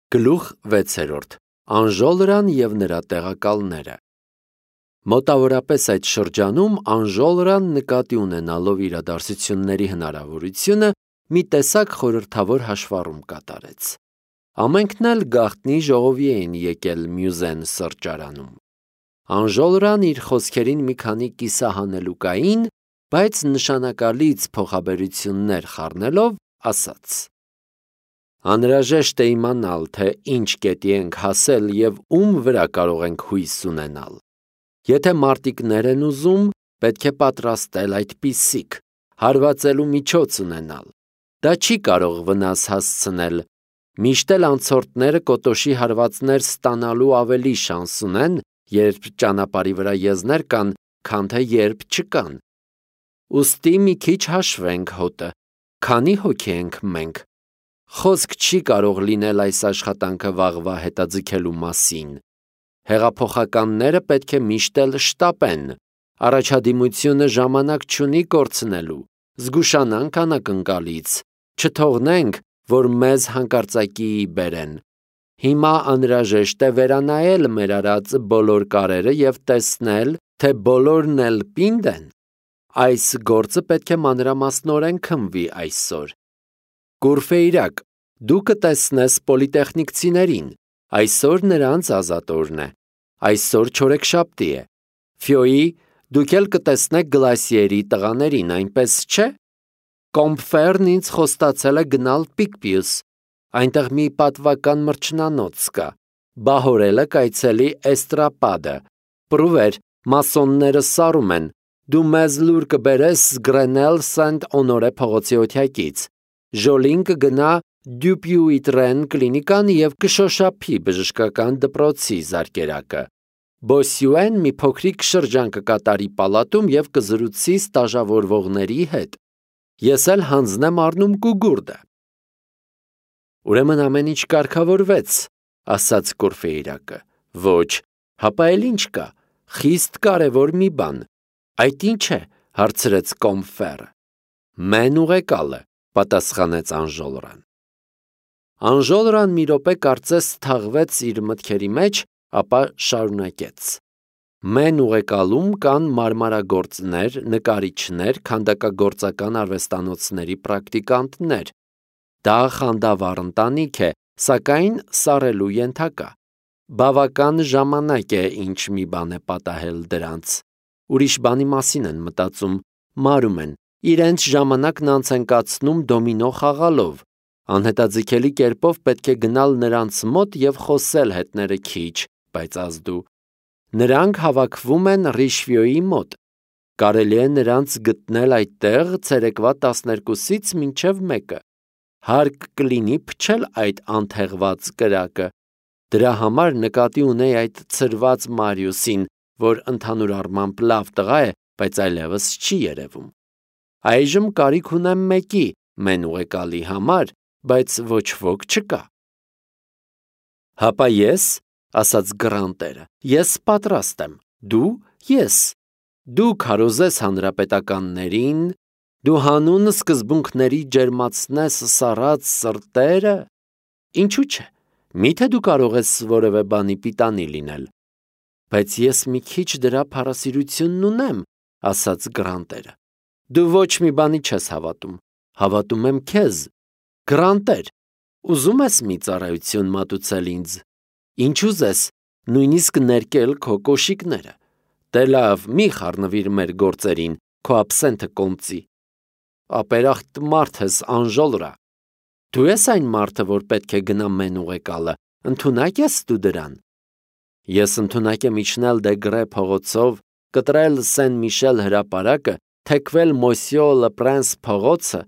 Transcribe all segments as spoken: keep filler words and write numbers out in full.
Գլուխ վեցերորդ. Անժոլրան և նրա տեղակալները։ Մոտավորապես այդ շրջանում անժոլրան նկատի ունենալով իրադարձությունների հնարավորությունը մի տեսակ խորհրդավոր հաշվառում կատարեց։ Ամենքն էլ գաղտնի ժողովի էին եկել Մյուզեն սրճարանում։ Անժոլրան իր խոսքերին մի քանի կիսահանելուկային, բայց նշանակալից փոխաբերություններ խառնելով ասաց. Անհրաժեշտ է իմանալ, թե ինչ կետի ենք հասել և ում վրա կարող ենք հույս ունենալ։ Եթե մարտիկներ են ուզում, պետք է պատրաստել այդպիսիք, հարվածելու միջոց ունենալ։ Դա չի կարող վնաս հասցնել, միշտ էլ անցորդները կոտոշի հարվածներ ստանալու ավելի շանս ունեն, երբ ճանապարհի վրա եզներ կան, քան թե երբ չկան։ Ուստի մի քիչ հաշվենք հոտը, քանի հոգի ենք մենք։ Խոսք չի կարող լինել այս աշխատանքը վաղվա հետաձգելու մասին։ Հեղափոխականները պետք է միշտ էլ շտապեն, առաջադիմությունը ժամանակ չունի կորցնելու, զգուշանանք անակնկալից, չթողնենք, որ մեզ հանկարծակիի բերեն։ Հիմա անհրաժեշտ է վերանայել մեր արած բոլոր կարերը և տեսնել, թե բոլորն էլ պինդ են։ Այս գործը պետք է մանրամասնորեն քննվի այսօր։ Կուրֆեյրակ, դու կտեսնես պոլիտեխնիկցիներին, այսօր նրանց ազատօրն է, այսօր չորեքշաբթի է։ Ֆյոյի, դուք էլ կտեսնեք Գլասիերի տղաներին, այնպես չէ։ Կոմփֆերն ինձ խոստացել է գնալ Պիկպիուս, այնտեղ մի պատվական մրջնանոց կա, Բահորելը կայցելի Էստրապադը, Պրուվեր, մասոնները սարում են, դու մեզ լուր կբերես Գրենել Սենտ Օնորե փողոցի օթյակից, Ժոլին կգնա Դյուպյուիտրեն կլինիկան և կշոշափի բժշկական դպրոցի զարկերակը, Բոսյուեն մի փոքրիկ շրջան կկատարի պալատում և կզրուցի ստաժավորվողների հետ, ես էլ հանձնեմ առնում կուգուրդը։ Ուրեմն ամեն ինչ կարգավորվեց, ասաց Կուրֆեյրակը։ Ոչ, հապա էլ ինչ կա, խիստ կարևոր մի բան։ Այդ ինչ է, հարցրեց Կոմփֆերը։ Մեն ուղեկալը, պատասխանեց Անժոլրան։ Անժոլրան մի րոպե կարծես թաղվեց իր մտքերի մեջ, ապա շարունակեց. Մեն ուղեկալում կան մարմարագործներ, նկարիչներ, քանդակագործական արվեստանոցների պրակտիկանտներ։ Դա խանդավառ ընտանիք է, սակայն սառելու ենթակա։ Բավական ժամանակ է, ինչ մի բան է պատահել դրանց։ Ուրիշ բանի մասին են մտածում, մարում են, իրենց ժամանակն անց են կացնում դոմինո խաղալով։ Անհետաձգելի կերպով պետք է գնալ նրանց մոտ և խոսել հետները քիչ, բայց ազդու։ Նրանք հավաքվում են Ռիշվյոյի մոտ։ Կարելի է նրանց գտնել այդտեղ ցերեկվա տասներկուսից մինչև մեկը։ Հարկ կլինի փչել այդ անթեղված կրակը։ Դրա համար նկատի ունեի այդ ցրված Մարիուսին, որ ընդհանուր առմամբ լավ տղա է, բայց այլևս չի երևում։ Այժմ կարիք ունեմ մեկի, մեն ուղեկալի համար, բայց ոչ ոք չկա։ Հապա ես, ասաց Գրանտերը, ես պատրաստ եմ, դու, ես, դու քարոզես հանրապետականներին, դու հանուն սկզբունքների ջերմացնես սառած սրտերը, ինչու՞ չէ, միթե դու կարող ես որևէ բանի պիտանի լինել։ Բայց ես մի քիչ դրա փառասիրությունն ունեմ, ասաց Գրանտերը։ Դու ոչ մի բանի չես հավատում, հավատում եմ քեզ։ Գրանտեր, ուզում ես մի ծառայություն մատուցել ինձ։ Ինչ ուզես, նույնիսկ ներկել քո կոշիկները։ Դե լավ, մի խառնվիր մեր գործերին, քո աբսենթը կոմծի։ Ապերախտ մարդ ես, Անժոլրա։ Դու ես այն մարդը, որ պետք է գնա մեն ուղեկալը, ընդունակ ես դու դրան։ Ես ընդունակ եմ իջնել Դեգրե փողոցով, կտրել Սեն Միշել հրապարակը, թեքվել Մոսյո Լպրանս փողոցը,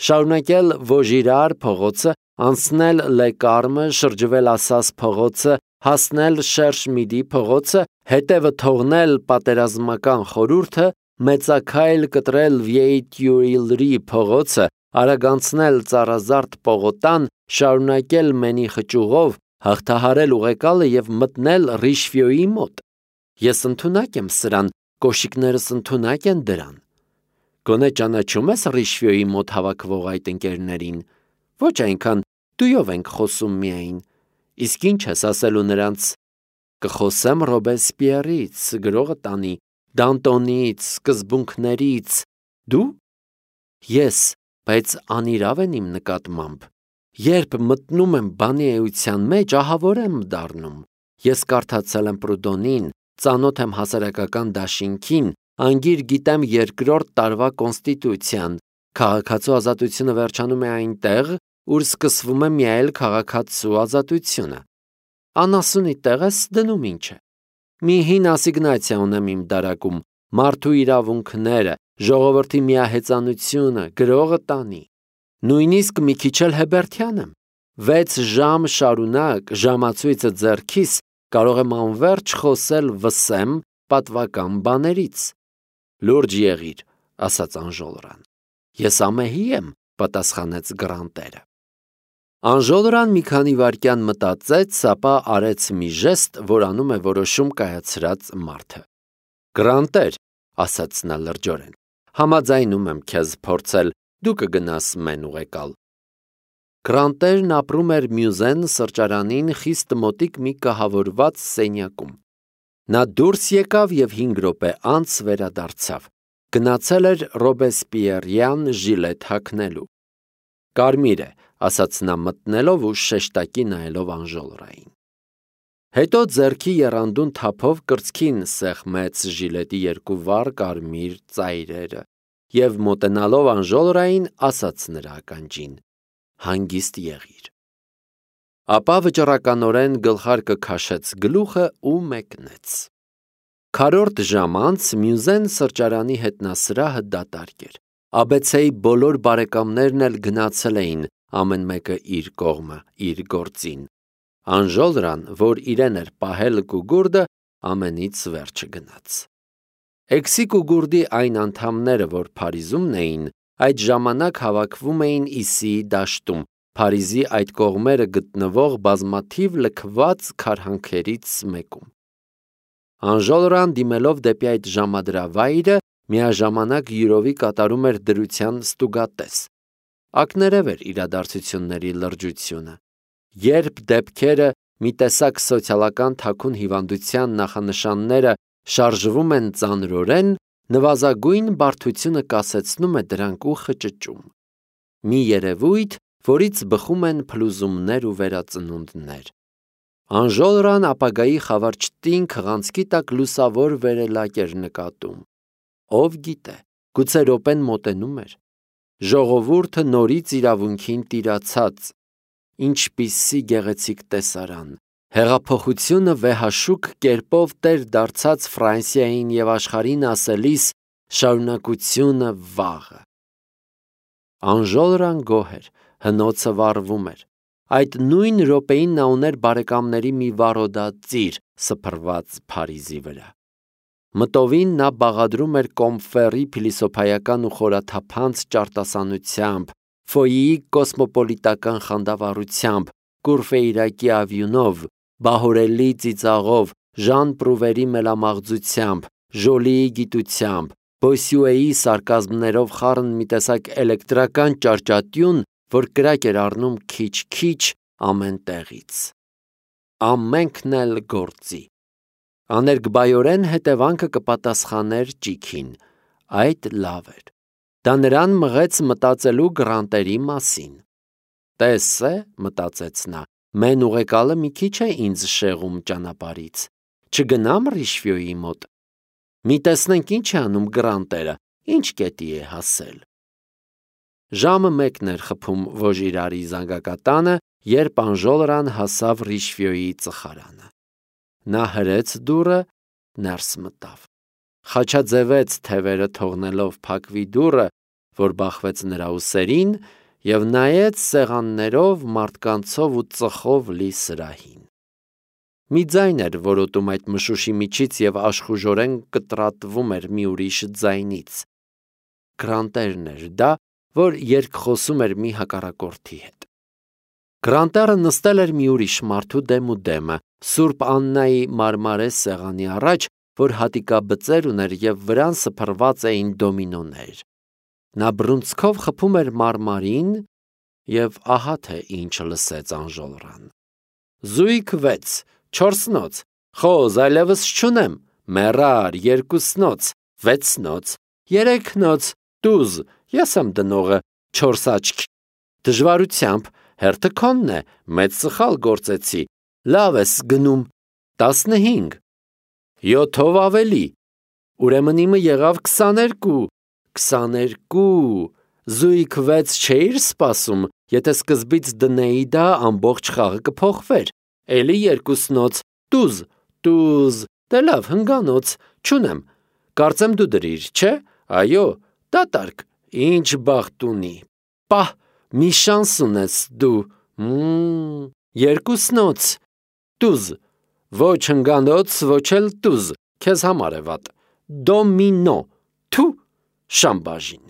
շարունակել Վոժիրար փողոցը, անցնել Լեկարմը, շրջվել Ասաս փողոցը, հասնել Շերշմիդի փողոցը, հետևը թողնել պատերազմական խորհուրդը, մեծաքայլ կտրել Վիեյտյուիլրի փողոցը, արագանցնել Ծառազարդ պողոտան, շարունակել Մենի խճուղով, հաղթահարել ուղեկալը և մտնել Ռիշվյոյի մոտ։ Ես ընդունակ եմ սրան, կոշիկներս ընդունակ են դրան։ Գոնե ճանաչում ես Ռիշվյոյի մոտ հավաքվող այդ ընկերներին։ Ոչ այնքան, դույով ենք խոսում միայն։ Իսկ ինչ ես ասելու նրանց. կխոսեմ Ռոբեսպիերից, գրողը տանի, Դանտոնից, սկզբունքներից, դու? Ես, բայց անիրավ են իմ նկատմամբ։ Երբ մտնում եմ բանի էության մեջ, ահավոր եմ դառնում։ Ես կարդացել եմ Պրուդոնին, ծանոթ եմ հասարակական դաշինքին, անգիր գիտեմ երկրորդ տարվա կոնստիտուցիան, քաղաքացու ազատությունը վերջանում է այնտեղ, ուր սկսվում է միայել քաղաքացու ազատությունը։ Անասունի տեղ ես դնում ինչ է։ Մի հին ասիգնացիա ունեմ իմ դարակում, մարդու իրավունքները, ժողովրդի միահեծանությունը, գրողը տանի։ Նույնիսկ մի քիչ էլ Հեբերթյան եմ։ Վեց ժամ շարունակ ժամացույցը ձեռքիս կարող եմ անվերջ խոսել վսեմ պատվական բաներից։ Լուրջ եղիր, ասաց Անժոլրան։ Ես ամեհի եմ, պատասխանեց Գրանտերը։ Անժոլրան մի քանի վայրկյան մտածեց, ապա արեց մի ժեստ, որ անում է որոշում կայացրած մարդը։ Գրանտեր, ասաց նա լրջորեն, համաձայնում եմ քեզ փորձել, դու կգնաս մեն ուղեկալ։ Գրանտերն ապրում էր Մյուզեն սրճարանին խիստ մոտիկ մի կահավորված սենյակում։ Նա դուրս եկավ և հինգ րոպե անց վերադարձավ։ Գնացել էր Ռոբեսպիերյան ժիլետ հագնելու։ Կարմիր է, ասաց նա մտնելով ու շեշտակի նայելով Անժոլրային։ Հետո ձեռքի եռանդուն թափով կրծքին սեղմեց ժիլետի երկու վառ կարմիր ծայրերը և մոտենալով Անժոլրային ասաց նրա ականջին. հանգիստ եղիր։ Ապա վճռականորեն գլխարկը քաշեց գլուխը ու մեկնեց։ Քառորդ ժամ անց Մյուզեն սրճարանի հետնասրահը դատարկ էր։ Աբեցեի բոլոր բարեկամներն էլ գնացել էին, ամեն մեկը իր կողմը, իր գործին։ Անժոլրան, որ իրեն էր պահել կուգուրդը, ամենից վերջը գնաց։ Էքսի կուգուրդի այն անդամները, որ Փարիզումն էին, այդ ժամանակ հավաքվում էին Իսիի դաշտում, Փարիզի այդ կողմերը գտնվող բազմաթիվ լքված քարհանքերից մեկում։ Անժոլրան դիմելով դեպի այդ ժամադրավայրը, միաժամանակ յուրովի կատարում էր դրության ստուգատես։ Ակներև էր իրադարձությունների լրջությունը։ Երբ դեպքերը մի տեսակ սոցիալական թաքուն հիվանդության նախանշանները շարժվում են ծանրորեն, նվազագույն բարդությունը կասեցնում է դրանք ու խճճում։ Մի երևույթ, որից բխում են փլուզումներ ու վերածնունդներ։ Անժոլրան ապագայի խավարճտին քղանցքի տակ լուսավոր վերելակ էր նկատում։ Ով գիտե, գուցե րոպեն մոտենում էր։ Ժողովուրդը նորից իրավունքին տիրացած։ Ինչպիսի գեղեցիկ տեսարան։ Հեղափոխությունը վեհաշուկ կերպով տեր դարձած Ֆրանսիային և աշխարհին ասելիս շարունակությունը վաղը։ Անժոլրան գոհ էր, հնոցը վառվում էր։ Այդ նույն րոպեին նա ուներ բարեկամների մի վառոդածիր սփռված Փարիզի վրա։ Մտովին նա բաղադրում էր Կոմֆերի փիլիսոփայական ու խորաթափանց ճարտասանությամբ, Ֆոյիի կոսմոպոլիտական խանդավառությամբ, Կուրֆեյրակի ավյունով, Բահորելի ծիծաղով, Ժան Պրուվերի մելամաղձությամբ, Ժոլիի գիտությամբ, Բոսյուեի սարկազմներով խառն մի տեսակ էլեկտրական ճարճատյուն, որ կրակ էր առնում քիչ-քիչ ամեն տեղից։ Ամենքն էլ գործի։ Աներկբայորեն հետևանքը կպատասխաներ ճիգին։ Այդ լավ էր։ Դա նրան մղեց մտածելու Գրանտերի մասին։ Տես է, մտածեց նա, մեն ուղեկալը մի քիչ է ինձ շեղում ճանապարհից։ Չգնամ Ռիշվյոյի մոտ։ Մի տեսնենք ինչ է անում Գրանտերը, ինչ կետի է հասել։ Ժամը մեկն էր խփում Վոժիրարի զանգակատանը, երբ Անժոլրան հասավ Ռիշվյոյի ծխարանը։ Նա հրեց դուռը, ներս մտավ։ Խաչաձևեց թևերը թողնելով փակվի դուռը, որ բախվեց նրա ուսերին, և նայեց սեղաններով, մարդկանցով ու ծխով լի սրահին։ Մի ձայն էր որոտում այդ մշուշի միջից և աշխուժորեն կտրատվում էր մի ուրիշ ձայնից։ Գրանտերն էր դա, որ երկխոսում էր մի հակառակորդի հետ։ Գրանտերը նստել էր մի ուրիշ մարդու դեմ ու դեմը, Սուրբ Աննայի մարմարե սեղանի առաջ, որ հատիկաբծեր ուներ և վրան սփռված էին դոմինոներ։ Նա բռունցքով խփում էր մարմարին և ահա թե ինչ լսեց Անժոլրան։ զույգ վեց, չորսնոց, խոզ այլևս չունեմ, մեռար երկուսնոց, վեցնոց, երեքնոց, տուզ, ես եմ դնողը, չորս աչք, դժվարությամբ, հերթը քոնն է, մեծ սխալ գործեցի, լավ ես գնում, տասնհինգ, յոթով ավելի, ուրեմն իմը եղավ քսաներկու, քսաներկու, զույգ վեց չէիր սպասում, եթե սկզբից դնեի դա ամբողջ խաղը կփոխվեր, էլի երկուսնոց, տուզ, տուզ, դե լավ հնգանոց, չունեմ, կարծեմ դու դրիր, չէ, այո, դատարկ, ինչ բախտ ունի, պահ, մի շանս ունես դու, մմ, երկուսնոց, տուզ, ոչ հնգանոց, ոչ էլ տուզ, քեզ համար է վատ, դոմինո, թու, շամբաժին։